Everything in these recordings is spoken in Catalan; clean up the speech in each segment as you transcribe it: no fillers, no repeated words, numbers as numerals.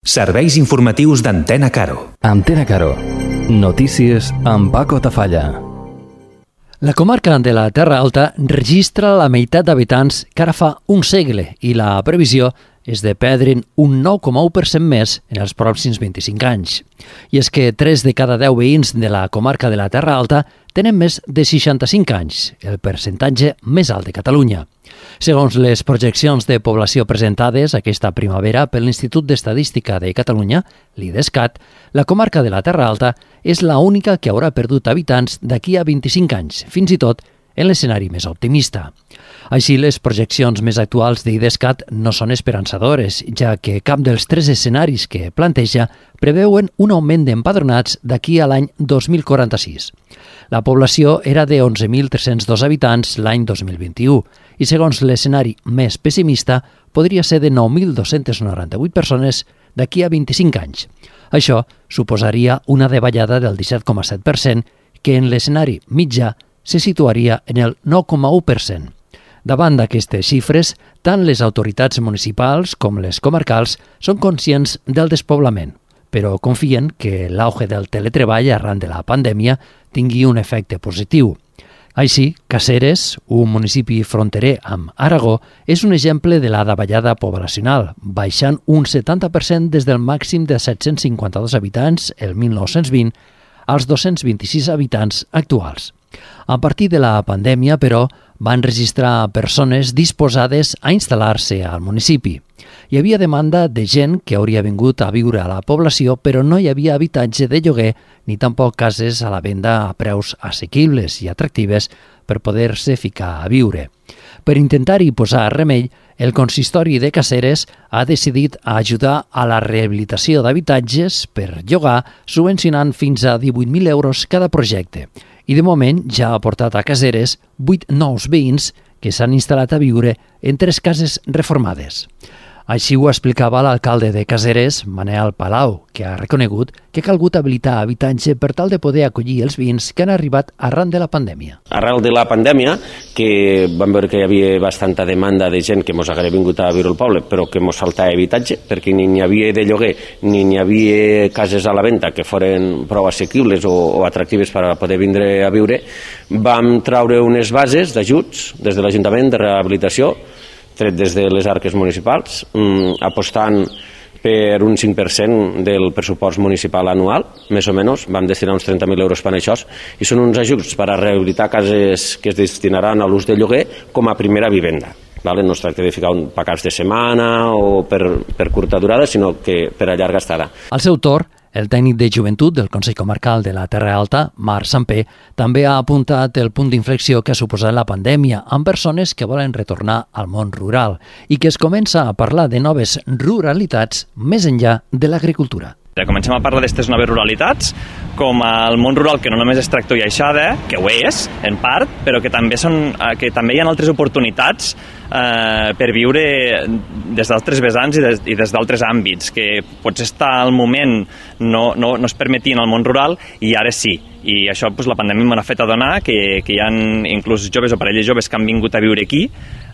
Serveis informatius d'Antena Caro. Antena Caro. Notícies amb Paco Tafalla. La comarca de la Terra Alta registra la meitat d'habitants que ara fa un segle i la previsió és de perdre'n un 9,1% més en els pròxims 25 anys. I és que 3 de cada 10 veïns de la comarca de la Terra Alta tenen més de 65 anys, el percentatge més alt de Catalunya. Segons les projeccions de població presentades aquesta primavera per l'Institut d'Estadística de Catalunya, l'IDESCAT, la comarca de la Terra Alta és l'única que haurà perdut habitants d'aquí a 25 anys, fins i tot en l'escenari més optimista. Així, les projeccions més actuals d'IDESCAT no són esperançadores, ja que cap dels 3 escenaris que planteja preveuen un augment d'empadronats d'aquí a l'any 2046. La població era de 11.302 habitants l'any 2021 i, segons l'escenari més pessimista, podria ser de 9.298 persones d'aquí a 25 anys. Això suposaria una davallada del 17,7%, que en l'escenari mitjà se situaria en el 9,1%. Davant d'aquestes xifres, tant les autoritats municipals com les comarcals són conscients del despoblament, però confien que l'auge del teletreball arran de la pandèmia tingui un efecte positiu. Així, Caseres, un municipi fronterer amb Aragó, és un exemple de la davallada poblacional, baixant un 70% des del màxim de 752 habitants el 1920 als 226 habitants actuals. A partir de la pandèmia, però, van registrar persones disposades a instal·lar-se al municipi. Hi havia demanda de gent que hauria vingut a viure a la població, però no hi havia habitatge de lloguer ni tampoc cases a la venda a preus assequibles i atractives per poder-se ficar a viure. Per intentar-hi posar remei, el consistori de Caseres ha decidit ajudar a la rehabilitació d'habitatges per llogar, subvencionant fins a 18.000 euros cada projecte. I de moment ja ha portat a Caseres 8 nous veïns que s'han instal·lat a viure en 3 cases reformades. Així ho explicava l'alcalde de Caseres, Manel Palau, que ha reconegut que ha calgut habilitar habitatge per tal de poder acollir els veïns que han arribat arran de la pandèmia. Arran de la pandèmia, que vam veure que hi havia bastanta demanda de gent que mos hagués vingut a viure al poble, però que mos faltava habitatge, perquè ni n'hi havia de lloguer, ni n'hi havia cases a la venda que foren prou assequibles o atractives per a poder vindre a viure, vam traure unes bases d'ajuts des de l'Ajuntament de rehabilitació, tret des de les arques municipals, apostant per un 5% del pressupost municipal anual, més o menys, vam destinar uns 30.000 euros per a això, i són uns ajuts per a rehabilitar cases que es destinaran a l'ús de lloguer com a primera vivenda. No es tracta de ficar un caps de setmana o per curta durada, sinó que per a llarga estada. Al seu torn, el tècnic de joventut del Consell Comarcal de la Terra Alta, Marc Sampé, també ha apuntat el punt d'inflexió que ha suposat la pandèmia amb persones que volen retornar al món rural i que es comença a parlar de noves ruralitats més enllà de l'agricultura. Comencem a parlar d'aquestes noves ruralitats com el món rural, que no només és tractor i aixada, que ho és, en part, però que també hi ha altres oportunitats per viure des d'altres vessants i des d'altres àmbits, que potser està al moment no es permetien al món rural i ara sí. I això la pandèmia m'ha fet adonar que hi ha inclús joves o parelles joves que han vingut a viure aquí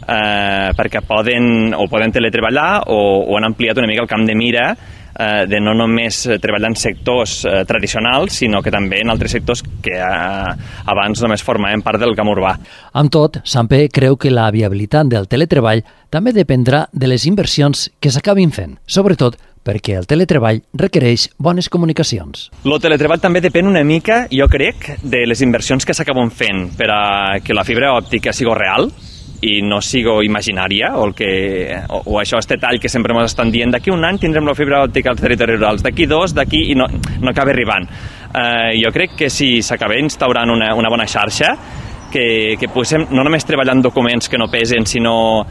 perquè poden teletreballar o han ampliat una mica el camp de mira de no només treballar en sectors tradicionals, sinó que també en altres sectors que abans només formaven part del camp urbà. Amb tot, Sampé creu que la viabilitat del teletreball també dependrà de les inversions que s'acabin fent, sobretot perquè el teletreball requereix bones comunicacions. El teletreball també depèn una mica, jo crec, de les inversions que s'acaben fent per a que la fibra òptica sigui real i no sigo imaginària, o això, este tall que sempre ens estan dient, d'aquí un any tindrem la fibra òptica als territoris rurals, d'aquí 2, i no acaba arribant. Jo crec que si s'acaba instaurant una bona xarxa, que poguéssim no només treballar en documents que no pesen, sinó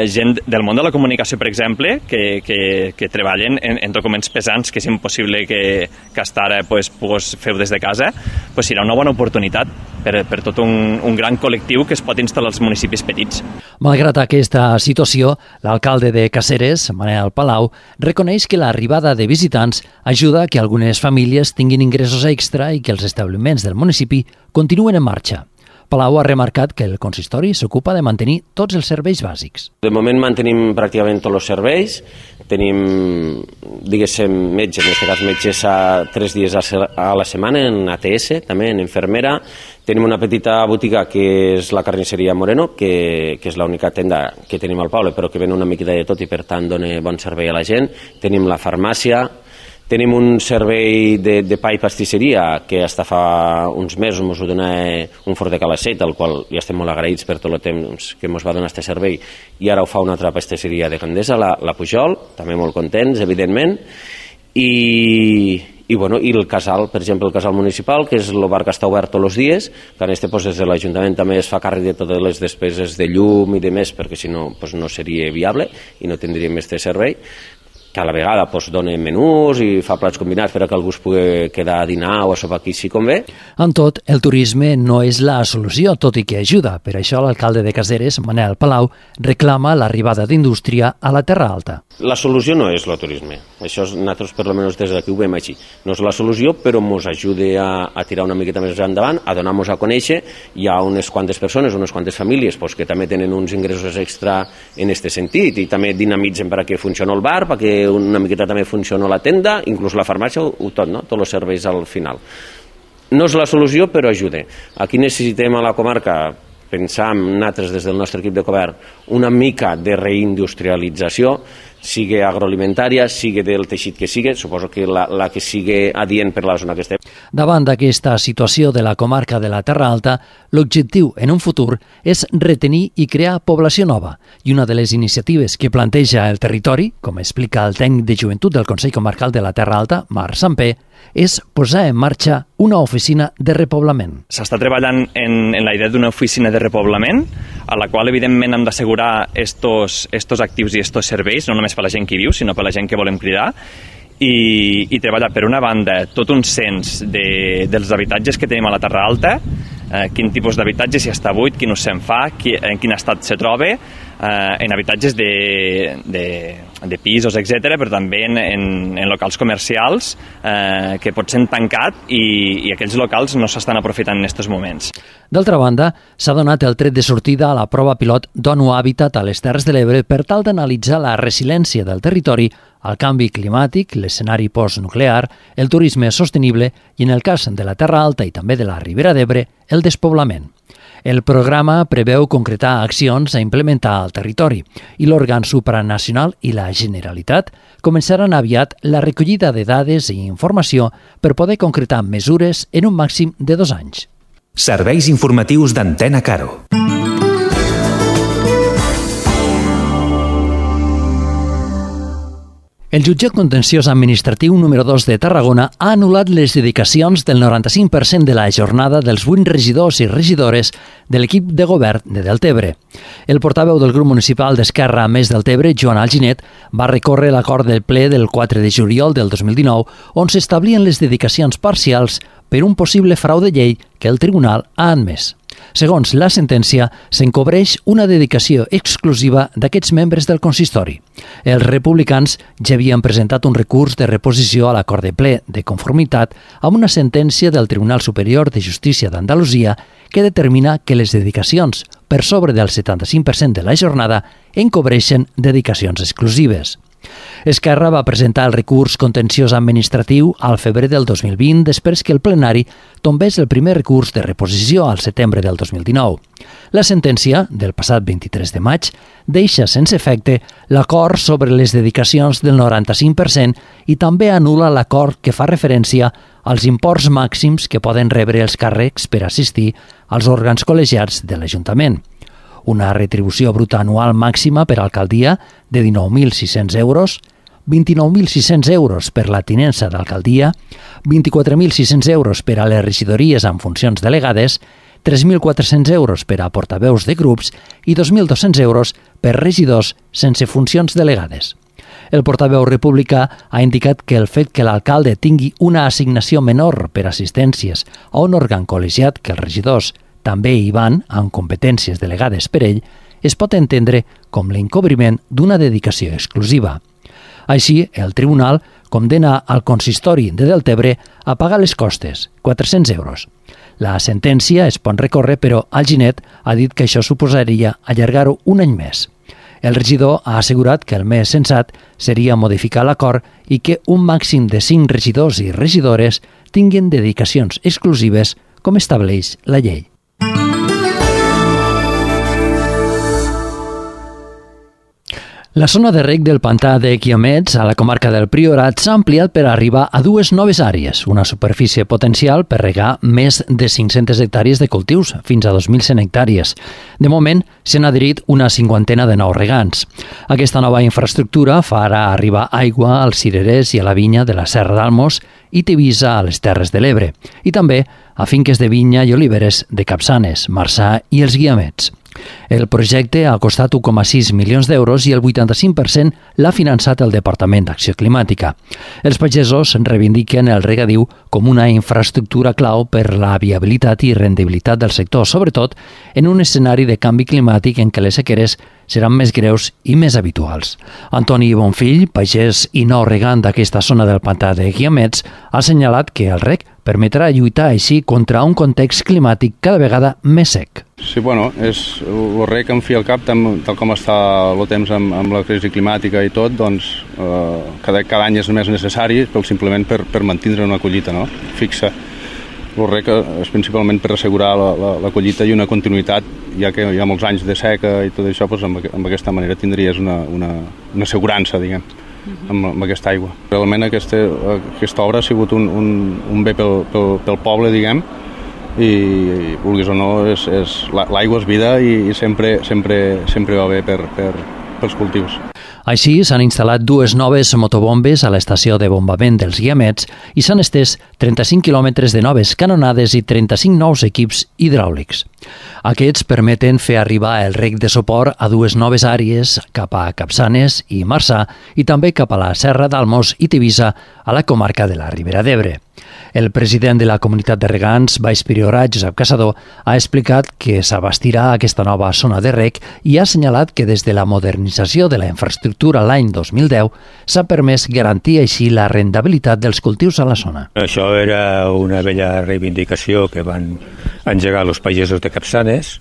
gent del món de la comunicació, per exemple, que treballen en documents pesants, que és impossible que hasta ara pogués fer des de casa, serà una bona oportunitat per tot un gran col·lectiu que es pot instal·lar als municipis petits. Malgrat aquesta situació, l'alcalde de Caseres, Manel Palau, reconeix que l'arribada de visitants ajuda a que algunes famílies tinguin ingressos extra i que els establiments del municipi continuen en marxa. Palau ha remarcat que el consistori s'ocupa de mantenir tots els serveis bàsics. De moment mantenim pràcticament tots els serveis, tenim, diguéssim, metge, en aquest cas metges 3 dies a la setmana, en ATS, també, en infermera. Tenim una petita botiga que és la carnisseria Moreno, que és l'única tenda que tenim al poble, però que ven una miqueta de tot i per tant dona bon servei a la gent. Tenim la farmàcia, tenim un servei de pa i pastisseria que hasta fa uns mesos ens ho dona un Fort de Calacet, al qual ja estem molt agraïts per tot el temps que ens va donar aquest servei, i ara ho fa una altra pastisseria de Candesa, la Pujol, també molt contents, evidentment, i el casal, per exemple, el casal municipal, que és el bar que està obert tots els dies, que en este, des de l'Ajuntament també es fa càrrec de totes les despeses de llum i de més, perquè si no, no seria viable i no tindríem aquest servei, que a la vegada dona menús i fa plats combinats per a que algú es pugui quedar a dinar o a sopar aquí si convé. En tot, el turisme no és la solució, tot i que ajuda. Per això l'alcalde de Caseres, Manel Palau, reclama l'arribada d'indústria a la Terra Alta. La solució no és el turisme. Això nosaltres, per almenys des d'aquí, ho veiem així. No és la solució, però ens ajuda a tirar una miqueta més endavant, a donar-nos a conèixer. Hi ha unes quantes persones, unes quantes famílies que també tenen uns ingressos extra en aquest sentit i també dinamitzen perquè funcioni el bar, perquè una miqueta també funciona la tenda, inclús la farmàcia, tot, no? Tots els serveis al final. No és la solució, però ajuda. Aquí necessitem a la comarca, pensam nosaltres des del nostre equip de govern, una mica de reindustrialització, sigui agroalimentària, sigui del teixit que sigui, suposo que la que sigui adient per la zona que estem. Davant d'aquesta situació de la comarca de la Terra Alta, l'objectiu en un futur és retenir i crear població nova, i una de les iniciatives que planteja el territori, com explica el tècnic de joventut del Consell Comarcal de la Terra Alta, Marc Sampé, és posar en marxa una oficina de repoblament. S'està treballant en la idea d'una oficina de repoblament, a la qual evidentment hem d'assegurar estos actius i estos serveis, no només per la gent que hi viu, sinó per la gent que volem cridar, i treballar per una banda tot un cens dels habitatges que tenim a la Terra Alta, quin tipus d'habitatge, si està buit, quin ús se'n fa, en quin estat se troba, en habitatges de pisos, etc., però també en locals comercials que pot ser tancat i aquells locals no s'estan aprofitant en aquests moments. D'altra banda, s'ha donat el tret de sortida a la prova pilot d'ONU Habitat a les Terres de l'Ebre per tal d'analitzar la resiliència del territori al canvi climàtic, l'escenari postnuclear, el turisme sostenible i, en el cas de la Terra Alta i també de la Ribera d'Ebre, el despoblament. El programa preveu concretar accions a implementar al territori i l'òrgan supranacional i la Generalitat començaran aviat la recollida de dades i informació per poder concretar mesures en un màxim de 2 anys. Serveis informatius d'Antena Caro. El jutjat contenciós administratiu número 2 de Tarragona ha anul·lat les dedicacions del 95% de la jornada dels 8 regidors i regidores de l'equip de govern de Deltebre. El portaveu del grup municipal d'Esquerra Més Deltebre, Joan Alginet, va recórrer l'acord del ple del 4 de juliol del 2019 on s'establien les dedicacions parcials per un possible frau de llei que el tribunal ha admès. Segons la sentència, s'encobreix una dedicació exclusiva d'aquests membres del consistori. Els republicans ja havien presentat un recurs de reposició a l'acord de ple de conformitat amb una sentència del Tribunal Superior de Justícia d'Andalusia que determina que les dedicacions per sobre del 75% de la jornada encobreixen dedicacions exclusives. Esquerra va presentar el recurs contenciós administratiu al febrer del 2020 després que el plenari tombés el primer recurs de reposició al setembre del 2019. La sentència, del passat 23 de maig, deixa sense efecte l'acord sobre les dedicacions del 95% i també anul·la l'acord que fa referència als imports màxims que poden rebre els càrrecs per assistir als òrgans col·legiats de l'Ajuntament. Una retribució bruta anual màxima per alcaldia de 19.600 euros, 29.600 euros per la tinença d'alcaldia, 24.600 euros per a les regidories amb funcions delegades, 3.400 euros per a portaveus de grups i 2.200 euros per regidors sense funcions delegades. El portaveu republicà ha indicat que el fet que l'alcalde tingui una assignació menor per assistències a un òrgan col·legiat que els regidors també hi van amb competències delegades per ell, es pot entendre com l'encobriment d'una dedicació exclusiva. Així, el tribunal condena al consistori de Deltebre a pagar les costes, 400 euros. La sentència es pot recórrer, però Alginet ha dit que això suposaria allargar-ho un any més. El regidor ha assegurat que el més sensat seria modificar l'acord i que un màxim de 5 regidors i regidores tinguin dedicacions exclusives com estableix la llei. La zona de reg del pantà de Guiamets, a la comarca del Priorat, s'ha ampliat per arribar a 2 noves àrees, una superfície potencial per regar més de 500 hectàrees de cultius, fins a 2.100 hectàrees. De moment, s'han adherit una 50 de nous regants. Aquesta nova infraestructura farà arribar aigua als cirerers i a la vinya de la Serra d'Almos i Tivisa a les Terres de l'Ebre, i també a finques de vinya i oliveres de Capçanes, Marçà i els Guiamets. El projecte ha costat 1,6 milions d'euros i el 85% l'ha finançat el Departament d'Acció Climàtica. Els pagesos reivindiquen el regadiu com una infraestructura clau per la viabilitat i rendibilitat del sector, sobretot en un escenari de canvi climàtic en què les sequeres seran més greus i més habituals. Antoni Bonfill, pagès i nou regant d'aquesta zona del pantà de Guiamets, ha assenyalat que el reg permetrà lluitar així contra un context climàtic cada vegada més sec. Sí, bueno, és el reg en fi al cap, tal com està el temps amb la crisi climàtica i tot, doncs cada any és més necessari, però simplement per mantenir una collita fixa. El reg és principalment per assegurar la collita i una continuïtat, ja que hi ha molts anys de seca i tot això, doncs amb aquesta manera tindries una assegurança, diguem, amb aquesta aigua. Realment aquesta obra ha sigut un bé pel poble, diguem, i vulguis o no, l'aigua és vida i sempre va bé pels cultius. Així, s'han instal·lat 2 noves motobombes a l'estació de bombament dels Guiamets i s'han estès 35 quilòmetres de noves canonades i 35 nous equips hidràulics. Aquests permeten fer arribar el reg de suport a 2 noves àrees cap a Capçanes i Marçà i també cap a la Serra d'Almos i Tivisa a la comarca de la Ribera d'Ebre. El president de la comunitat de regants, Baix Priorat, Josep Caçador, ha explicat que s'abastirà aquesta nova zona de reg i ha assenyalat que des de la modernització de la infraestructura l'any 2010 s'ha permès garantir així la rendabilitat dels cultius a la zona. Això era una vella reivindicació que van engegar els pagesos de Capçanes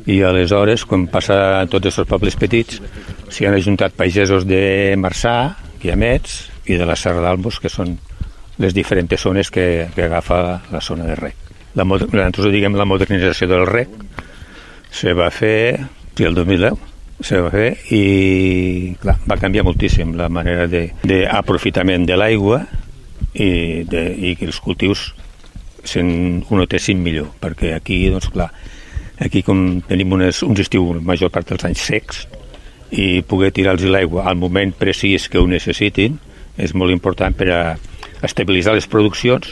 i aleshores, quan passa a tots els pobles petits, s'hi han ajuntat pagesos de Marçà, Guiamets i de la Serra d'Almos, que són les diferents zones que agafa la zona de reg. Nosaltres diguem la modernització del reg se va fer el 2010, se va fer i clar, va canviar moltíssim la manera d'aprofitament de l'aigua i que els cultius ho notessin millor, perquè aquí, doncs clar, aquí com tenim uns estius la major part dels anys secs i poder tirar-los l'aigua al moment precís que ho necessitin és molt important per a estabilitzar les produccions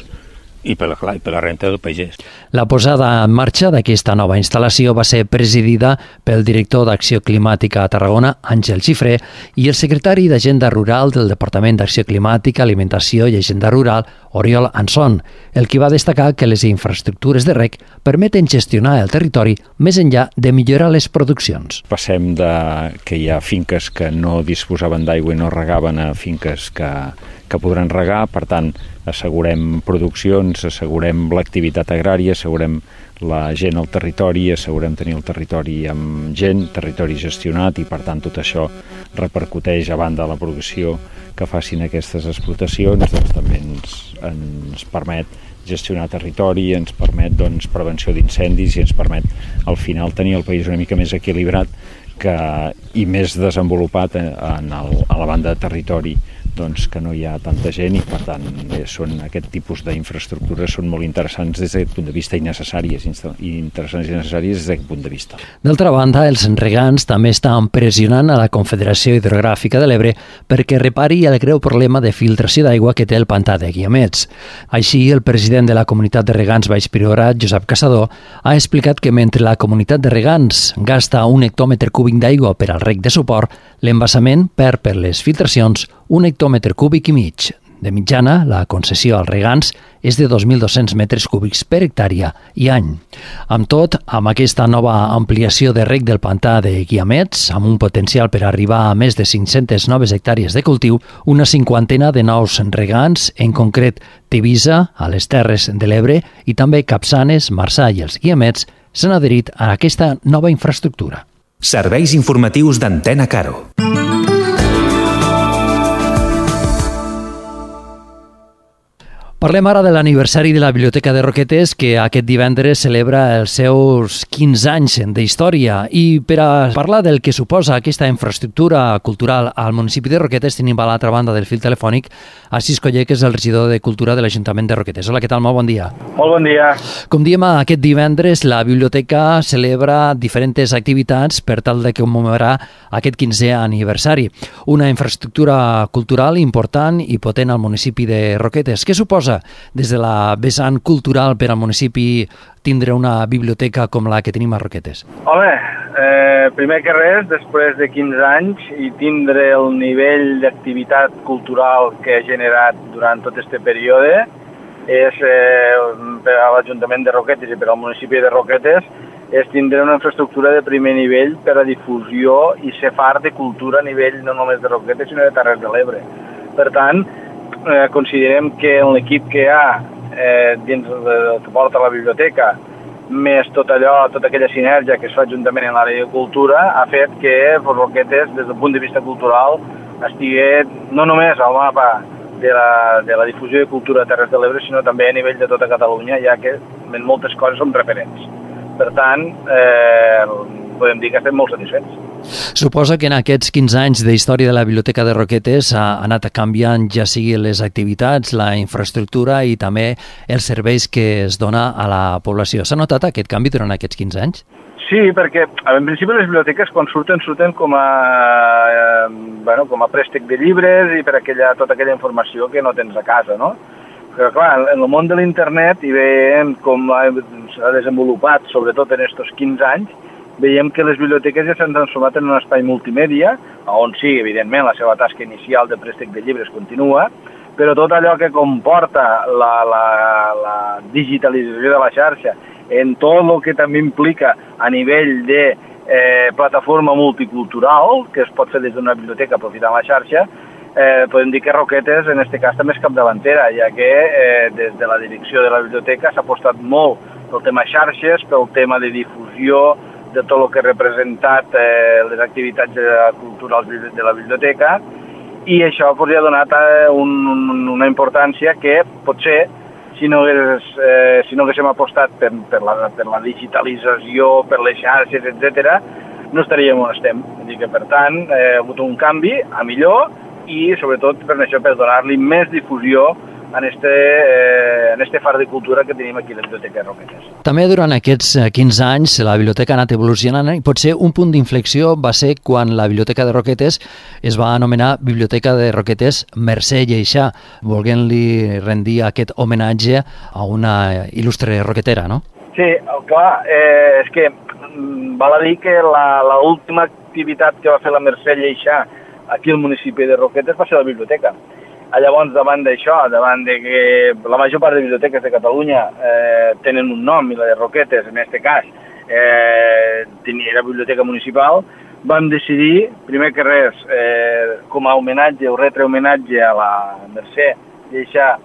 i per la renta del pagès. La posada en marxa d'aquesta nova instal·lació va ser presidida pel director d'Acció Climàtica a Tarragona, Àngel Xifré, i el secretari d'Agenda Rural del Departament d'Acció Climàtica, Alimentació i Agenda Rural, Oriol Anson, el qui va destacar que les infraestructures de reg permeten gestionar el territori més enllà de millorar les produccions. Passem que hi ha finques que no disposaven d'aigua i no regaven a finques que podran regar, per tant, assegurem produccions, assegurem l'activitat agrària, assegurem la gent al territori, assegurem tenir el territori amb gent, territori gestionat i, per tant, tot això repercuteix a banda de la producció que facin aquestes explotacions, doncs també ens permet gestionar territori, ens permet prevenció d'incendis i ens permet al final tenir el país una mica més equilibrat i més desenvolupat a la banda de territori que no hi ha tanta gent i per tant aquest tipus d'infraestructures són molt interessants des d'aquest punt de vista i necessàries des d'aquest punt de vista. D'altra banda, els regants també estan pressionant a la Confederació Hidrogràfica de l'Ebre perquè repari el greu problema de filtració d'aigua que té el pantà de Guiamets. Així, el president de la comunitat de regants Baix Priorat, Josep Caçador, ha explicat que mentre la comunitat de regants gasta 1 hectòmetre cúbic d'aigua per al reg de suport, l'embassament perd per les filtracions 1 hectòmetre cúbic i mig. De mitjana, la concessió als regants és de 2.200 metres cúbics per hectàrea i any. Amb tot, amb aquesta nova ampliació de reg del pantà de Guiamets, amb un potencial per arribar a més de 500 noves hectàrees de cultiu, una 50 de nous regants, en concret Tivisa, a les Terres de l'Ebre, i també Capçanes, Marçà i els Guiamets, s'han adherit a aquesta nova infraestructura. Serveis informatius d'Antena Caro. Parlem ara de l'aniversari de la Biblioteca de Roquetes, que aquest divendres celebra els seus 15 anys d'història. I per a parlar del que suposa aquesta infraestructura cultural al municipi de Roquetes, tenim a l'altra banda del fil telefònic Assis Coller, que és el regidor de Cultura de l'Ajuntament de Roquetes. Hola, què tal? Molt bon dia. Molt bon dia. Com diem, aquest divendres la biblioteca celebra diferents activitats per tal de commemorar aquest 15è aniversari. Una infraestructura cultural important i potent al municipi de Roquetes. Què suposa des de la vessant cultural per al municipi tindre una biblioteca com la que tenim a Roquetes? Home, primer que res, després de 15 anys i tindre el nivell d'activitat cultural que ha generat durant tot aquest període, és per a l'Ajuntament de Roquetes i per al municipi de Roquetes, és tindre una infraestructura de primer nivell per a difusió i ser far de cultura a nivell no només de Roquetes, sinó de Terres de l'Ebre. Per tant, considerem que l'equip que hi ha dins que porta la biblioteca, més tota aquella sinergia que es fa juntament en l'àrea de cultura, ha fet que Roquetes, des del punt de vista cultural, estigui no només al mapa de la difusió de cultura a Terres de l'Ebre, sinó també a nivell de tota Catalunya, ja que en moltes coses som referents. Per tant, podem dir que estem molt satisfets. Suposa que en aquests 15 anys d'història de la Biblioteca de Roquetes ha anat canviant ja sigui les activitats, la infraestructura i també els serveis que es dona a la població. S'ha notat aquest canvi durant aquests 15 anys? Sí, perquè en principi les biblioteques quan surten com a préstec de llibres i per tota aquella informació que no tens a casa, no? Però clar, en el món de l'internet i veiem com s'ha desenvolupat, sobretot en aquests 15 anys, veiem que les biblioteques ja s'han transformat en un espai multimèdia, on sí, evidentment, la seva tasca inicial de préstec de llibres continua, però tot allò que comporta la digitalització de la xarxa, en tot el que també implica a nivell de plataforma multicultural, que es pot fer des d'una biblioteca aprofitant la xarxa, podem dir que Roquetes, en aquest cas, també és capdavantera, ja que des de la direcció de la biblioteca s'ha apostat molt pel tema xarxes, pel tema de difusió, de tot el que ha representat les activitats culturals de la biblioteca, i això ja ha donat una importància que potser, si no haguéssim apostat per la digitalització, per les xarxes, etc., no estaríem on estem. Per tant, ha hagut un canvi a millor i, sobretot, per això, per donar-li més difusió en este far de cultura que tenim aquí a la Biblioteca de Roquetes. També durant aquests 15 anys la biblioteca ha anat evolucionant i potser un punt d'inflexió va ser quan la Biblioteca de Roquetes es va anomenar Biblioteca de Roquetes Mercè Lleixà, volent-li rendir aquest homenatge a una il·lustre roquetera, no? Sí, clar, és que val a dir que l'última activitat que va fer la Mercè Lleixà aquí al municipi de Roquetes va ser la biblioteca. Llavors, davant d'això, davant de que la major part de biblioteques de Catalunya tenen un nom, i la de Roquetes, en aquest cas, era biblioteca municipal, vam decidir, primer que res, com a homenatge o retre-homenatge a la Mercè Lleixà,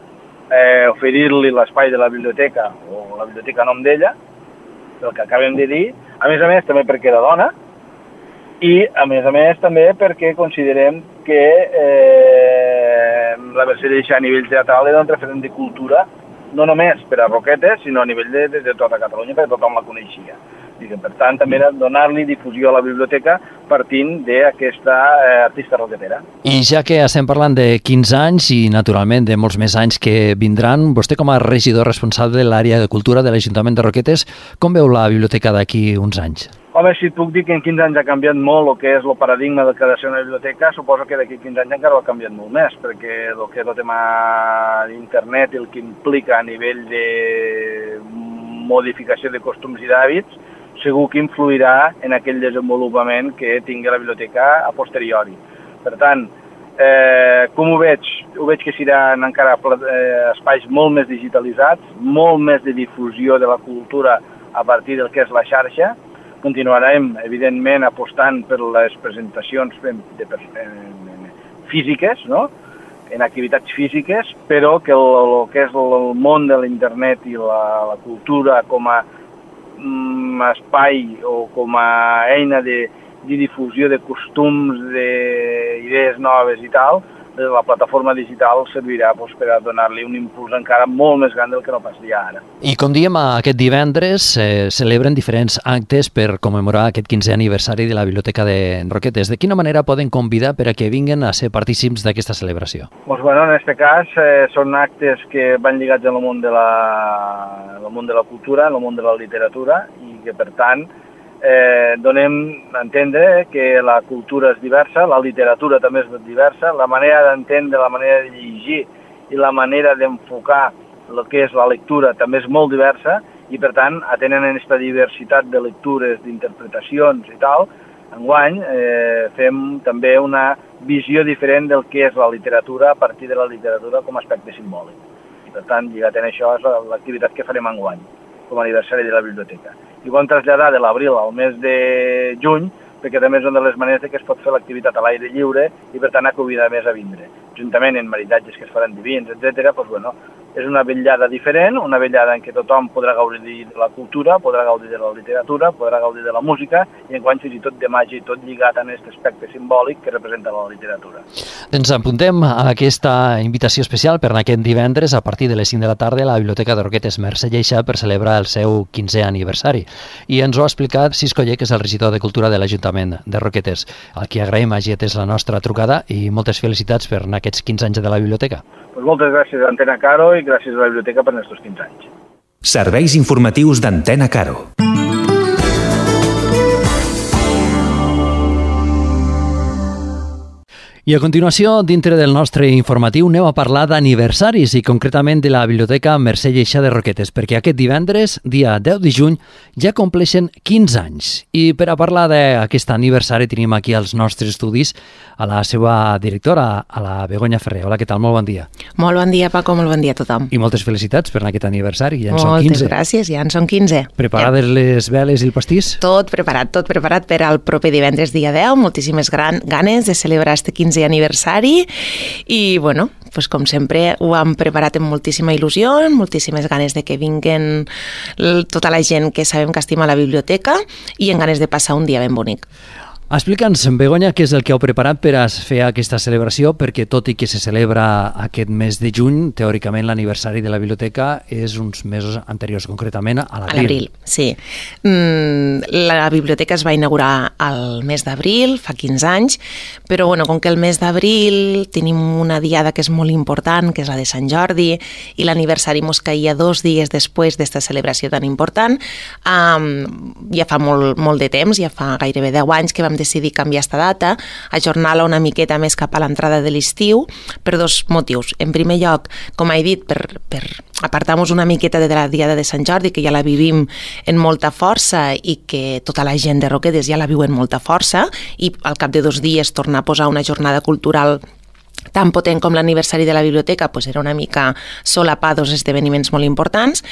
oferir-li l'espai de la biblioteca, o la biblioteca a nom d'ella, el que acabem de dir, a més també perquè era dona, i a més també perquè considerem que la Mercè Lleixà a nivell teatral era un referent de cultura, no només per a Roquetes, sinó a nivell de tota Catalunya, perquè tothom la coneixia. Per tant, també era donar-li difusió a la biblioteca partint d'aquesta artista roquetera. I ja que estem parlant de 15 anys i, naturalment, de molts més anys que vindran, vostè com a regidor responsable de l'àrea de cultura de l'Ajuntament de Roquetes, com veu la biblioteca d'aquí uns anys? Home, si et puc dir que en 15 anys ha canviat molt el que és el paradigma del que ha de ser una biblioteca, suposo que d'aquí 15 anys encara ha canviat molt més, perquè el que és el tema d'internet i el que implica a nivell de modificació de costums i d'hàbits, segur que influirà en aquell desenvolupament que tingui la biblioteca a posteriori. Per tant, com ho veig? Ho veig que seran encara espais molt més digitalitzats, molt més de difusió de la cultura a partir del que és la xarxa. Continuarem, evidentment, apostant per les presentacions físiques, no?, en activitats físiques, però que el que és el món de l'internet i la cultura com a espai o com a eina de de difusió de costums, d'idees noves i tal, la plataforma digital servirà per a donar-li un impuls encara molt més gran del que no passaria ara. I com diem, aquest divendres celebren diferents actes per commemorar aquest 15è aniversari de la Biblioteca de Roquetes. De quina manera poden convidar per a que vinguin a ser partícips d'aquesta celebració? Doncs, en aquest cas, són actes que van lligats al món de la cultura, al món de la literatura, i que, per tant, donem a entendre que la cultura és diversa, la literatura també és diversa, la manera d'entendre, la manera de llegir i la manera d'enfocar el que és la lectura també és molt diversa i, per tant, atenent aquesta diversitat de lectures, d'interpretacions i tal, enguany fem també una visió diferent del que és la literatura a partir de la literatura com a aspecte simbòlic. I, per tant, lligat en això és l'activitat que farem enguany com a aniversari de la biblioteca. I ho vam traslladar de l'abril al mes de juny, perquè també és una de les maneres que es pot fer l'activitat a l'aire lliure i, per tant, a convidar més a vindre. Juntament amb maridatges que es faran divins, etc., és una vetllada diferent, una vetllada en què tothom podrà gaudir de la cultura, podrà gaudir de la literatura, podrà gaudir de la música i enguany fins i tot de màgia i tot lligat a aquest aspecte simbòlic que representa la literatura. Ens apuntem a aquesta invitació especial per aquest divendres a partir de les 5 de la tarda a la Biblioteca de Roquetes Mercè Lleixà per celebrar el seu 15è aniversari. I ens ho ha explicat Cisco Lle, que és el regidor de Cultura de l'Ajuntament de Roquetes. A qui agraïm hagi atès la nostra trucada i moltes felicitats per aquests 15 anys de la biblioteca. Moltes gràcies a Antena Caro i gràcies a la biblioteca per aquests 15 anys. Serveis informatius d'Antena Caro. I a continuació, dintre del nostre informatiu, aneu a parlar d'aniversaris i concretament de la Biblioteca Mercè Lleixà de Roquetes, perquè aquest divendres, dia 10 de juny, ja compleixen 15 anys. I per a parlar d'aquest aniversari tenim aquí als nostres estudis a la seva directora, a la Begoña Ferrer. Hola, què tal? Molt bon dia. Molt bon dia, Paco, molt bon dia a tothom. I moltes felicitats per aquest aniversari, ja en són 15. Moltes gràcies, ja en són 15. Preparades les veles i el pastís? Tot preparat per al proper divendres dia 10, moltíssimes ganes de celebrar este 15è aniversari i, bueno, pues com sempre ho hem preparat amb moltíssima il·lusió, moltíssimes ganes de que vinguen tota la gent que sabem que estima la biblioteca i en ganes de passar un dia ben bonic. Explica'ns, Begoña, què és el que heu preparat per a fer aquesta celebració, perquè tot i que se celebra aquest mes de juny, teòricament l'aniversari de la biblioteca és uns mesos anteriors, concretament a l'abril. A l'abril, sí. La biblioteca es va inaugurar al mes d'abril, fa 15 anys, però bueno, com que el mes d'abril tenim una diada que és molt important, que és la de Sant Jordi, i l'aniversari mos caia 2 dies després d'esta celebració tan important, ja fa molt de temps, ja fa gairebé 10 anys que vam decidir canviar esta data, ajornar-la una miqueta més cap a l'entrada de l'estiu, per 2 motius. En primer lloc, com he dit, per apartar-nos una miqueta de la Diada de Sant Jordi, que ja la vivim en molta força i que tota la gent de Roquetes ja la viu en molta força, i al cap de 2 dies tornar a posar una jornada cultural tan potent com l'aniversari de la biblioteca, pues era una mica solapar 2 esdeveniments molt importants,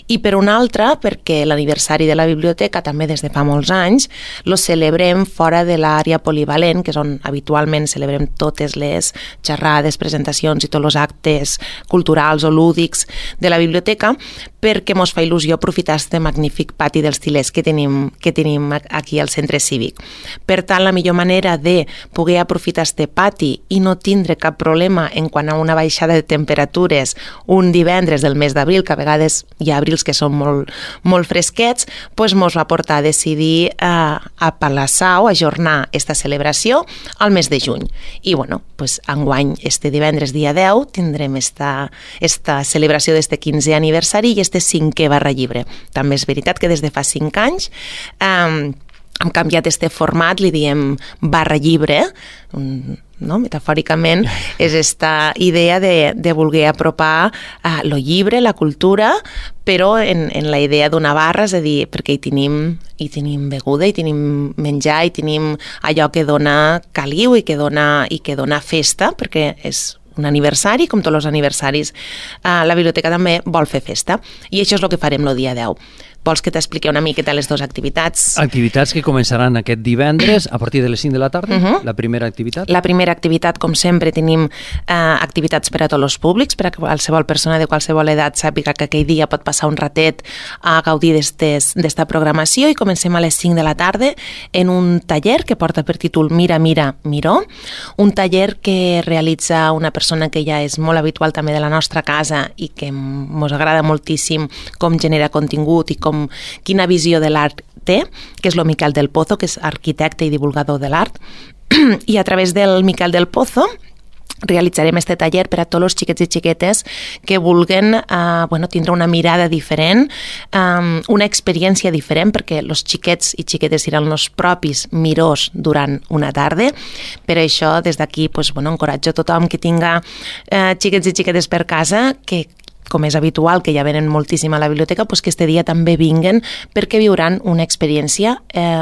i per una altra, perquè l'aniversari de la biblioteca també des de fa molts anys lo celebrem fora de l'àrea polivalent, que és on habitualment celebrem totes les xerrades, presentacions i tots els actes culturals o lúdics de la biblioteca, perquè mos fa il·lusió aprofitar este magnífic pati dels Til·lers que tenim aquí al centre cívic. Per tant, la millor manera de poder aprofitar este pati i no tindre cap problema en quant a una baixada de temperatures un divendres del mes d'abril, que a vegades hi ha abrils que són molt fresquets, doncs mos va portar a decidir aplaçar o ajornar esta celebració al mes de juny. I bueno, pues enguany, este divendres dia 10, tindrem esta celebració d'este 15è aniversari i este 5è barra llibre. També és veritat que des de fa 5 anys hem canviat este format, li diem barra llibre, no? Metafòricament, és esta idea de voler apropar lo llibre, la cultura, però en la idea d'una barra, és a dir, perquè hi tenim beguda, hi tenim menjar, hi tenim allò que dona caliu i que dona festa, perquè és un aniversari, com tots els aniversaris, la biblioteca també vol fer festa, i això és el que farem el dia 10. Vols que t'expliqui una miqueta les dues activitats? Activitats que començaran aquest divendres a partir de les 5 de la tarda. La primera activitat? La primera activitat, com sempre, tenim activitats per a tots els públics, per a qualsevol persona de qualsevol edat sàpiga que aquell dia pot passar un ratet a gaudir d'esta programació, i comencem a les 5 de la tarda en un taller que porta per títol Mira, mira, miró, un taller que realitza una persona que ja és molt habitual també de la nostra casa i que ens agrada moltíssim com genera contingut i quina visió de l'art té, que és el Miquel del Pozo, que és arquitecte i divulgador de l'art. I a través del Miquel del Pozo realitzarem este taller per a tots els xiquets i xiquetes que vulguen tindre una mirada diferent, una experiència diferent, perquè els xiquets i xiquetes seran els propis mirós durant una tarda. Per això, des d'aquí, encoratjo a tothom que tinga xiquets i xiquetes per casa, que com és habitual, que ja venen moltíssim a la biblioteca, que este dia també vinguen, perquè viuran una experiència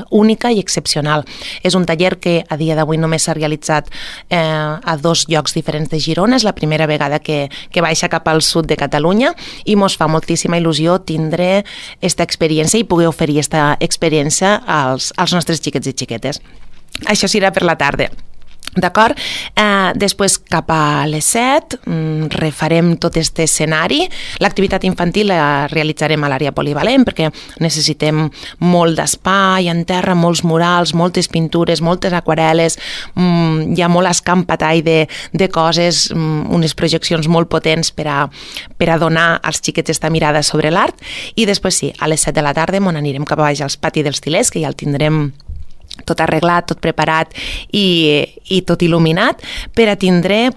única i excepcional. És un taller que a dia d'avui només s'ha realitzat a 2 llocs diferents de Girona. És la primera vegada que baixa cap al sud de Catalunya i mos fa moltíssima il·lusió tindre aquesta experiència i poder oferir aquesta experiència als nostres xiquets i xiquetes. Això serà per la tarda. D'acord? Després, cap a les 7, refarem tot aquest escenari. L'activitat infantil la realitzarem a l'àrea polivalent perquè necessitem molt d'espai en terra, molts murals, moltes pintures, moltes aquarel·les, hi ha molt escampatall de coses, unes projeccions molt potents per a donar als xiquets aquesta mirada sobre l'art. I després sí, a les 7 de la tarda anirem cap a baix als patis dels Tilers, que ja el tindrem tot arreglat, tot preparat i tot il·luminat per a tindre,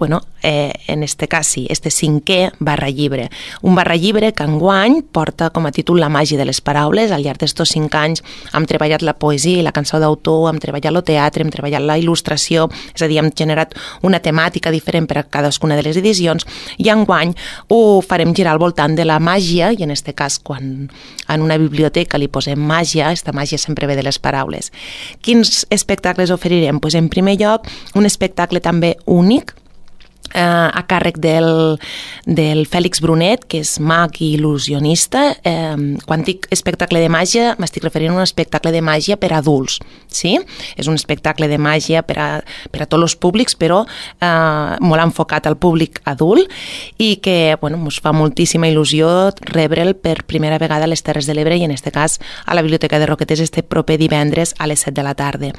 en este cas sí, este 5è barra-llibre. Un barra-llibre que enguany porta com a títol La màgia de les paraules. Al llarg d'estos 5 anys hem treballat la poesia i la cançó d'autor, hem treballat el teatre, hem treballat la il·lustració, és a dir, hem generat una temàtica diferent per a cadascuna de les edicions, i enguany ho farem girar al voltant de la màgia, i en este cas, quan en una biblioteca li posem màgia, aquesta màgia sempre ve de les paraules. Quins espectacles oferirem? En primer lloc, un espectacle també únic a càrrec del Fèlix Brunet, que és mag i il·lusionista. Quan dic espectacle de màgia, m'estic referint a un espectacle de màgia per a adults. Sí? És un espectacle de màgia per a tots els públics, però molt enfocat al públic adult, i que ens fa moltíssima il·lusió rebre'l per primera vegada a les Terres de l'Ebre, i en aquest cas a la Biblioteca de Roquetes este proper divendres a les 7 de la tarda.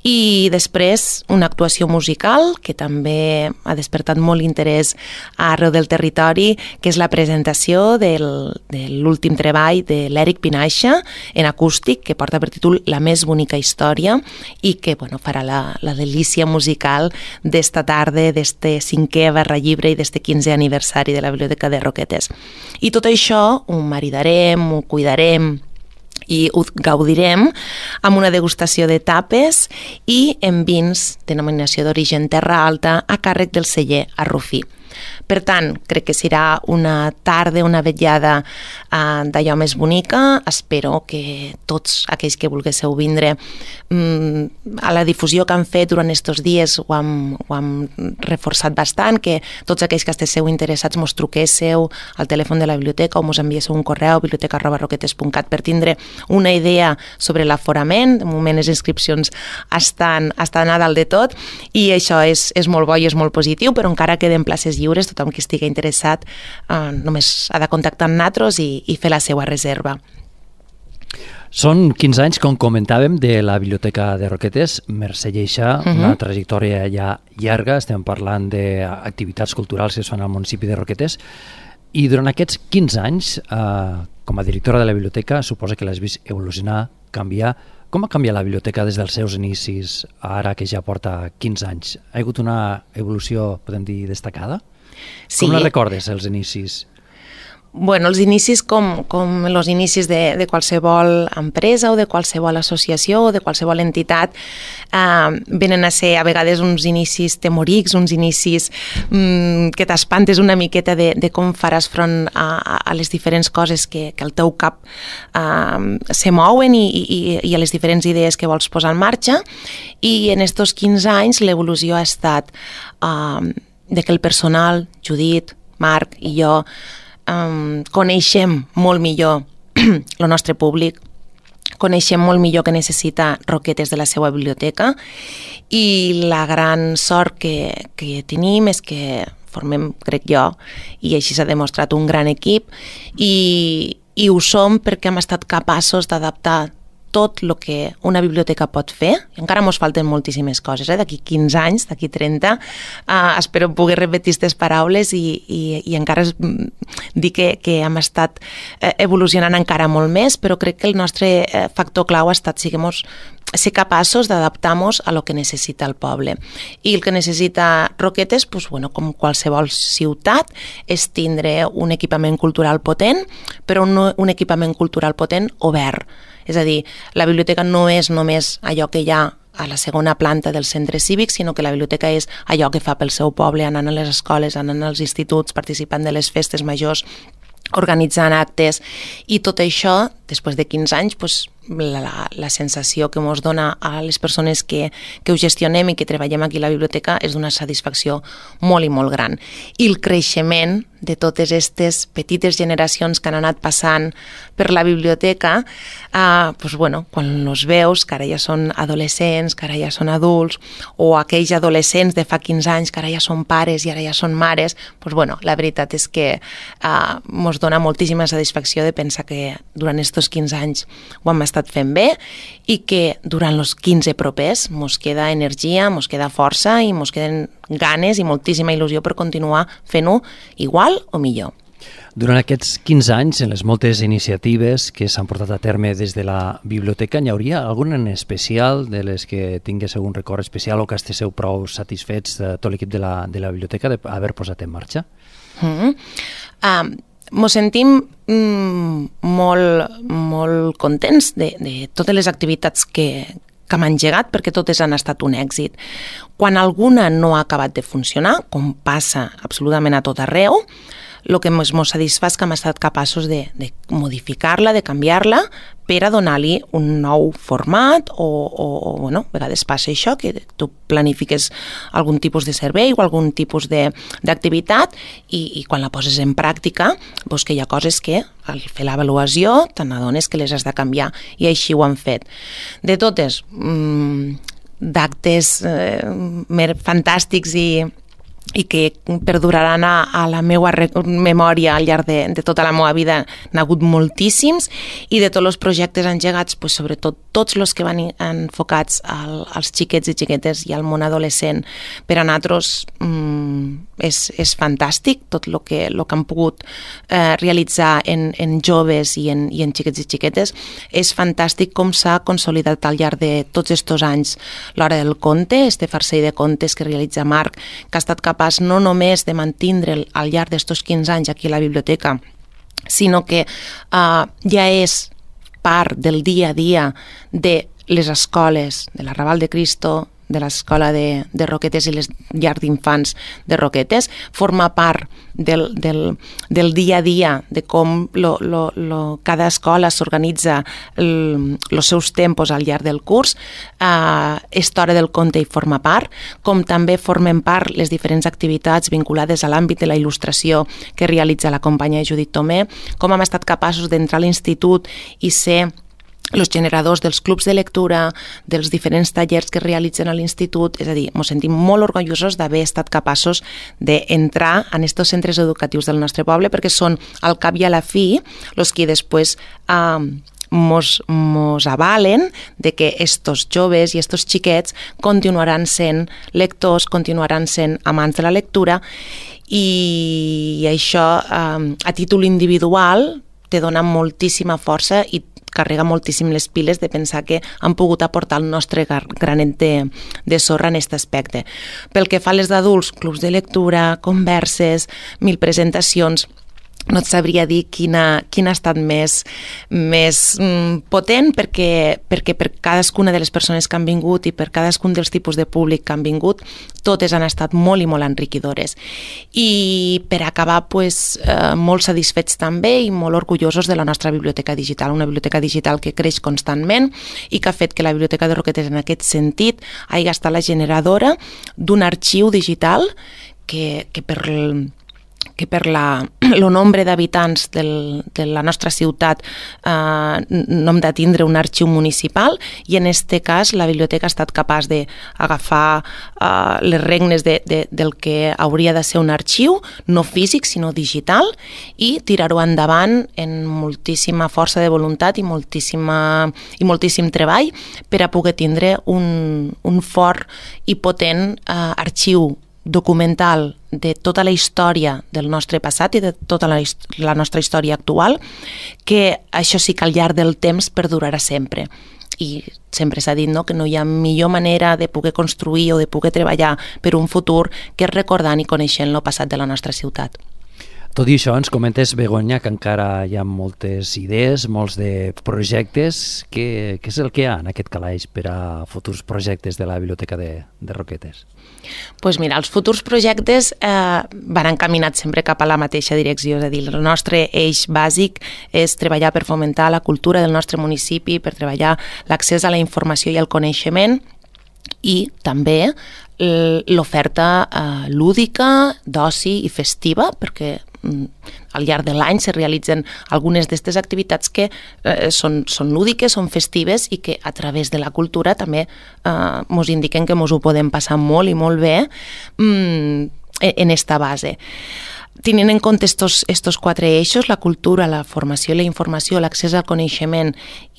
I després una actuació musical que també ha despertat molt interès arreu del territori, que és la presentació de l'últim treball de l'Eric Pinaixa en acústic, que porta per títol La més bonica història, i que farà la delícia musical d'esta tarda, d'este 5è barra-llibre i d'este 15è aniversari de la Biblioteca de Roquetes. I tot això ho maridarem, ho cuidarem i ho gaudirem amb una degustació de tapes i en vins denominació d'origen Terra Alta a càrrec del celler Arrufí. Per tant, crec que serà una tarda, una vetllada d'allò més bonica. Espero que tots aquells que volguéssiu vindre, a la difusió que han fet durant aquests dies ho hem reforçat bastant, que tots aquells que estigueu interessats mos truquéssiu al telèfon de la biblioteca o mos enviéssiu un correu biblioteca@roquetes.cat per tindre una idea sobre l'aforament. De moment les inscripcions estan a dalt de tot i això és molt bo i és molt positiu, però encara queden places lliures. Tothom que estigui interessat només ha de contactar amb nosaltres i fer la seva reserva. Són 15 anys, com comentàvem, de la Biblioteca de Roquetes. Mercè Lleixa, una trajectòria ja llarga. Estem parlant d'activitats culturals que es fan al municipi de Roquetes. I durant aquests 15 anys, com a directora de la biblioteca, suposa que l'has vist evolucionar, canviar. Com ha canviat la biblioteca des dels seus inicis a ara, que ja porta 15 anys? Ha hagut una evolució, podem dir, destacada? Sí. Com la recordes, els inicis? Bueno, els inicis com els inicis de qualsevol empresa o de qualsevol associació o de qualsevol entitat venen a ser a vegades uns inicis temorics, uns inicis que t'espantes una miqueta de com faràs front a les diferents coses que al teu cap se mouen i a les diferents idees que vols posar en marxa. I en estos 15 anys l'evolució ha estat de que el personal, Judit, Marc i jo, coneixem molt millor el nostre públic, coneixem molt millor què necessita Roquetes de la seva biblioteca i la gran sort que tenim és que formem, crec jo, i així s'ha demostrat un gran equip i ho som perquè hem estat capaços d'adaptar tot el que una biblioteca pot fer. Encara ens falten moltíssimes coses. D'aquí 15 anys, d'aquí 30, espero poder repetir aquestes paraules i encara dir que hem estat evolucionant encara molt més, però crec que el nostre factor clau ha estat ser capaços d'adaptar-nos a lo que necessita el poble. I el que necessita Roquetes, com qualsevol ciutat, és tindre un equipament cultural potent, però un equipament cultural potent obert. És a dir, la biblioteca no és només allò que hi ha a la segona planta del centre cívic, sinó que la biblioteca és allò que fa pel seu poble, anant a les escoles, anant als instituts, participant de les festes majors, organitzant actes, i tot això, després de 15 anys, la sensació que ens dona a les persones que ho gestionem i que treballem aquí a la biblioteca és d'una satisfacció molt i molt gran. I el creixement de totes aquestes petites generacions que han anat passant per la biblioteca, quan els veus, que ara ja són adolescents, que ara ja són adults, o aquells adolescents de fa 15 anys que ara ja són pares i ara ja són mares, la veritat és que ens dona moltíssima satisfacció de pensar que durant aquests 15 anys ho hem estat fent bé i que durant els 15 propers ens queda energia, ens queda força i ens queden ganes i moltíssima il·lusió per continuar fent-ho igual o millor. Durant aquests 15 anys, en les moltes iniciatives que s'han portat a terme des de la biblioteca, n'hi hauria alguna en especial de les que tingués algun record especial o que estigueu prou satisfets de tot l'equip de la biblioteca d'haver posat en marxa? Ens sentim molt contents de totes les activitats que hem engegat, perquè totes han estat un èxit. Quan alguna no ha acabat de funcionar, com passa absolutament a tot arreu, el que ens satisfà és que hem estat capaços de modificar-la, de canviar-la, per a donar-li un nou format a vegades passa això, que tu planifiques algun tipus de servei o algun tipus d'activitat i quan la poses en pràctica, que hi ha coses que al fer l'avaluació te n'adones que les has de canviar i així ho han fet. De totes, d'actes fantàstics i que perduraran a la meva memòria al llarg de tota la meva vida, n'ha hagut moltíssims, i de tots els projectes engegats, sobretot tots els que van enfocats als xiquets i xiquetes i al món adolescent, per a nosaltres és fantàstic tot el que han pogut realitzar en joves i en xiquets i xiquetes. És fantàstic com s'ha consolidat al llarg de tots aquests anys l'Hora del Conte, este farcell de contes que realitza Marc, que ha estat capaç no només de mantindre'l al llarg d'estos 15 anys aquí a la biblioteca, sinó que ja és part del dia a dia de les escoles, de l'Arrabal de Cristo, de l'escola de Roquetes i les llars d'infants de Roquetes, forma part del dia a dia de com cada escola s'organitza els seus tempos al llarg del curs. Esta Hora del Conte hi forma part, com també formen part les diferents activitats vinculades a l'àmbit de la il·lustració que realitza la companya Judit Tomé, com hem estat capaços d'entrar a l'institut i ser els generadors dels clubs de lectura, dels diferents tallers que realitzen a l'institut. És a dir, ens sentim molt orgullosos d'haver estat capaços d'entrar en aquests centres educatius del nostre poble, perquè són, al cap i a la fi, els que després mos avalen de que estos joves i estos xiquets continuaran sent lectors, continuaran sent amants de la lectura, i això a títol individual te dona moltíssima força i carrega moltíssim les piles de pensar que han pogut aportar el nostre granet de sorra en aquest aspecte. Pel que fa a les d'adults, clubs de lectura, converses, 1000 presentacions, no et sabria dir quina ha estat més potent, perquè per cadascuna de les persones que han vingut i per cadascun dels tipus de públic que han vingut, totes han estat molt i molt enriquidores. I per acabar, molt satisfets també i molt orgullosos de la nostra biblioteca digital, una biblioteca digital que creix constantment i que ha fet que la Biblioteca de Roquetes en aquest sentit hagi estat la generadora d'un arxiu digital que que per el nombre d'habitants de la nostra ciutat no hem de tindre un arxiu municipal, i en aquest cas la biblioteca ha estat capaç d'agafar les regnes del que hauria de ser un arxiu, no físic sinó digital, i tirar-ho endavant en moltíssima força de voluntat i moltíssim treball per a poder tindre un fort i potent arxiu documental de tota la història del nostre passat i de tota la nostra història actual, que això sí que al llarg del temps perdurarà sempre. I sempre s'ha dit, no?, que no hi ha millor manera de poder construir o de poder treballar per un futur que és recordant i coneixent el passat de la nostra ciutat. Tot i això, ens comentes, Begoña, que encara hi ha moltes idees, molts de projectes. Què és el que hi ha en aquest calaix per a futurs projectes de la Biblioteca de Roquetes? Doncs mira, els futurs projectes van encaminats sempre cap a la mateixa direcció, és a dir, el nostre eix bàsic és treballar per fomentar la cultura del nostre municipi, per treballar l'accés a la informació i al coneixement, i també l'oferta lúdica, d'oci i festiva, perquè al llarg de l'any se realitzen algunes d'aquestes activitats que són lúdiques, són festives i que a través de la cultura també ens indiquen que ens ho podem passar molt i molt bé en esta base. Tenint en compte estos 4 eixos, la cultura, la formació, la informació, l'accés al coneixement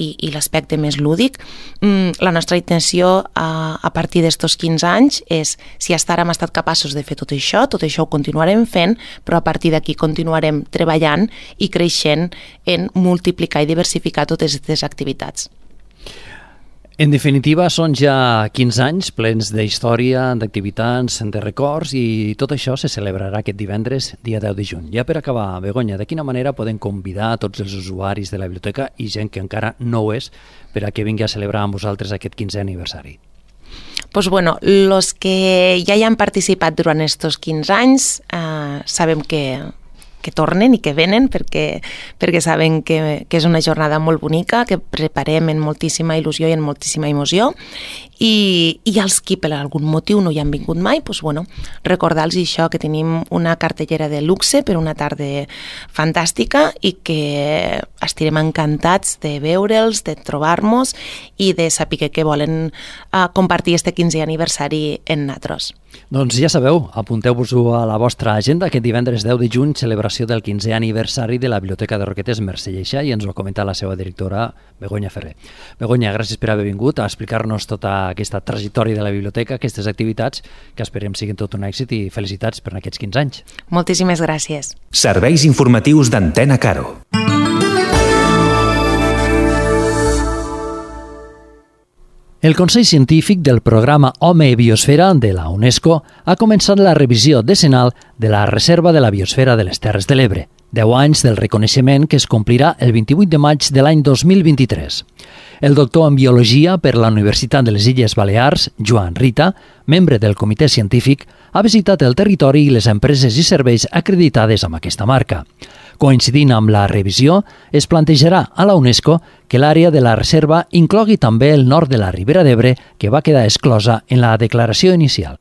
i l'aspecte més lúdic, la nostra intenció a partir d'estos 15 anys és, si fins ara hem estat capaços de fer tot això ho continuarem fent, però a partir d'aquí continuarem treballant i creixent en multiplicar i diversificar totes aquestes activitats. En definitiva, són ja 15 anys plens d'història, d'activitats, de records, i tot això se celebrarà aquest divendres, dia 10 de juny. Ja per acabar, Begoña, de quina manera podem convidar tots els usuaris de la biblioteca i gent que encara no ho és per a que vingui a celebrar amb vosaltres aquest 15è aniversari? Doncs bueno, els que ja hi han participat durant aquests 15 anys sabem que tornen i que venen perquè saben que és una jornada molt bonica, que preparem en moltíssima il·lusió i en moltíssima emoció, i els que per algun motiu no hi han vingut mai, doncs bueno, recordar-los això, que tenim una cartellera de luxe per una tarda fantàstica i que estarem encantats de veure'ls, de trobar-nos i de saber que volen compartir este 15è aniversari en nosaltres. Doncs ja sabeu, apunteu-vos-ho a la vostra agenda, aquest divendres 10 de juny, celebració del 15è aniversari de la Biblioteca de Roquetes Mercè Lleixà, i ens ho ha comentat la seva directora, Begoña Ferrer. Begoña, gràcies per haver vingut a explicar-nos tota aquesta trajectòria de la biblioteca, aquestes activitats, que esperem siguin tot un èxit, i felicitats per aquests 15 anys. Moltíssimes gràcies. Serveis informatius d'Antena Caro. El Consell Científic del programa Home i Biosfera de la UNESCO ha començat la revisió decenal de la Reserva de la Biosfera de les Terres de l'Ebre, 10 anys del reconeixement que es complirà el 28 de maig de l'any 2023. El doctor en Biologia per la Universitat de les Illes Balears, Joan Rita, membre del comitè científic, ha visitat el territori i les empreses i serveis acreditades amb aquesta marca. Coincidint amb la revisió, es plantejarà a la UNESCO que l'àrea de la reserva inclogui també el nord de la Ribera d'Ebre, que va quedar exclosa en la declaració inicial.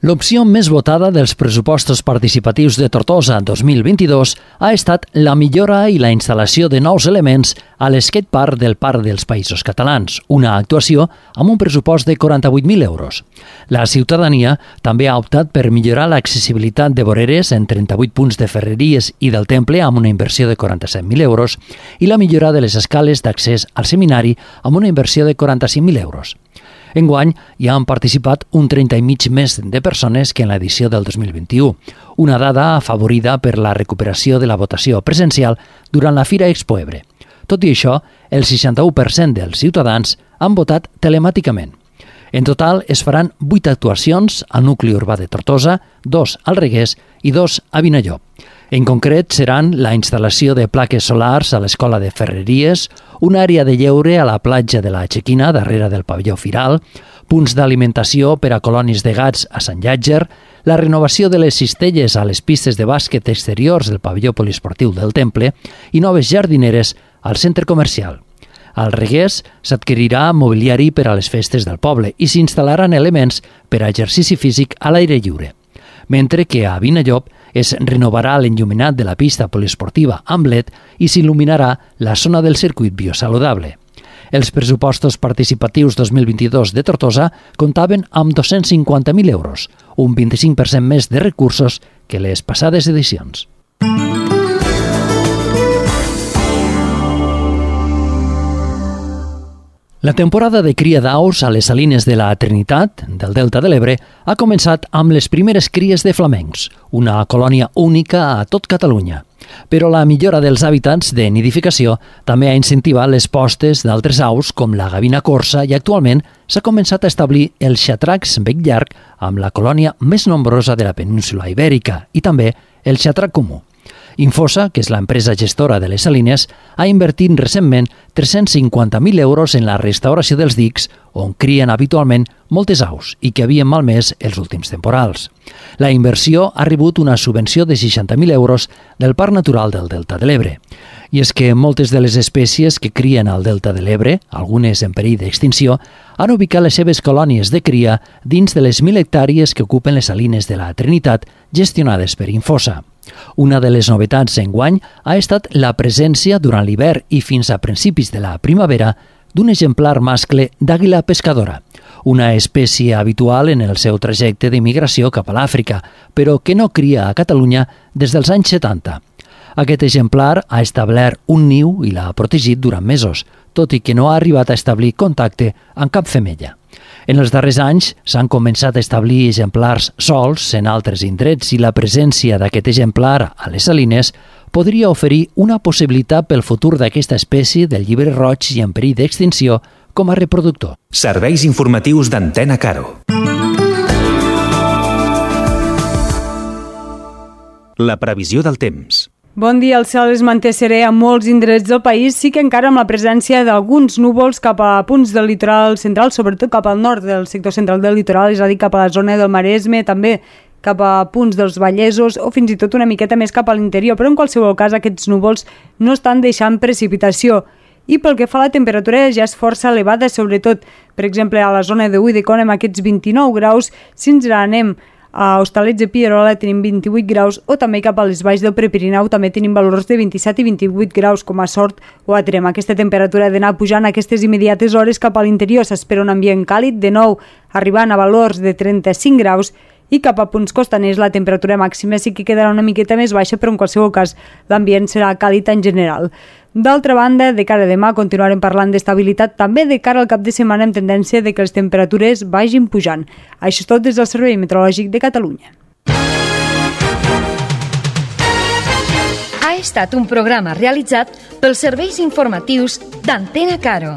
L'opció més votada dels pressupostos participatius de Tortosa 2022 ha estat la millora i la instal·lació de nous elements a l'skatepark del Parc dels Països Catalans, una actuació amb un pressupost de 48.000 euros. La ciutadania també ha optat per millorar l'accessibilitat de voreres en 38 punts de Ferreries i del Temple amb una inversió de 47.000 euros i la millora de les escales d'accés al seminari amb una inversió de 45.000 euros. Enguany hi han participat un 30 i mig més de persones que en l'edició del 2021, una dada afavorida per la recuperació de la votació presencial durant la Fira Expo Ebre. Tot i això, el 61% dels ciutadans han votat telemàticament. En total es faran 8 actuacions al nucli urbà de Tortosa, 2 al Reguers i 2 a Vinallop. En concret, seran la instal·lació de plaques solars a l'Escola de Ferreries, una àrea de lleure a la platja de la Chequina, darrere del pavelló Firal, punts d'alimentació per a colònies de gats a Sant Llàtzer, la renovació de les cistelles a les pistes de bàsquet exteriors del pavelló poliesportiu del Temple i noves jardineres al centre comercial. Al Reguers s'adquirirà mobiliari per a les festes del poble i s'instal·laran elements per a exercici físic a l'aire lliure. Mentre que a Vinallop es renovarà l'enlluminat de la pista poliesportiva amb LED i s'il·luminarà la zona del circuit biosaludable. Els pressupostos participatius 2022 de Tortosa comptaven amb 250.000 euros, un 25% més de recursos que les passades edicions. La temporada de cria d'aus a les salines de la Trinitat, del Delta de l'Ebre, ha començat amb les primeres cries de flamencs, una colònia única a tot Catalunya. Però la millora dels hàbitats de nidificació també ha incentivat les postes d'altres aus com la gavina corsa i actualment s'ha començat a establir el xatracs bec llarg amb la colònia més nombrosa de la península Ibèrica i també el xatrac comú. Infosa, que és l'empresa gestora de les salines, ha invertit recentment 350.000 euros en la restauració dels dics on crien habitualment moltes aus i que havien malmès els últims temporals. La inversió ha rebut una subvenció de 60.000 euros del Parc Natural del Delta de l'Ebre. I és que moltes de les espècies que crien al Delta de l'Ebre, algunes en perill d'extinció, han ubicat les seves colònies de cria dins de les 1.000 hectàrees que ocupen les salines de la Trinitat gestionades per Infosa. Una de les novetats enguany ha estat la presència durant l'hivern i fins a principis de la primavera d'un exemplar mascle d'àguila pescadora, una espècie habitual en el seu trajecte de migració cap a l'Àfrica, però que no cria a Catalunya des dels anys 70. Aquest exemplar ha establert un niu i l'ha protegit durant mesos, tot i que no ha arribat a establir contacte amb cap femella. En els darrers anys s'han començat a establir exemplars sols en altres indrets i la presència d'aquest exemplar a les salines podria oferir una possibilitat pel futur d'aquesta espècie del llibre roig i en perill d'extinció com a reproductor. Serveis informatius d'Antena Caro. La previsió del temps. Bon dia, el cel es manté serè a molts indrets del país, sí que encara amb la presència d'alguns núvols cap a punts del litoral central, sobretot cap al nord del sector central del litoral, és a dir, cap a la zona del Maresme, també cap a punts dels Vallesos o fins i tot una miqueta més cap a l'interior, però en qualsevol cas aquests núvols no estan deixant precipitació. I pel que fa a la temperatura ja és força elevada, sobretot, per exemple, a la zona de Ulldecona amb aquests 29 graus, si ens n'anem a Hostalets de Pierola tenim 28 graus o també cap a les valls del Prepirineu també tenim valors de 27 i 28 graus com a Sort o a Tremp. Aquesta temperatura ha d'anar pujant aquestes immediates hores cap a l'interior. S'espera un ambient càlid, de nou arribant a valors de 35 graus i cap a punts costaners la temperatura màxima sí que quedarà una miqueta més baixa, però en qualsevol cas l'ambient serà càlid en general. D'altra banda, de cara a demà continuarem parlant d'estabilitat, també de cara al cap de setmana amb tendència de que les temperatures vagin pujant. Això és tot des del Servei Meteorològic de Catalunya. Ha estat un programa realitzat pels serveis informatius d'Antena Caro.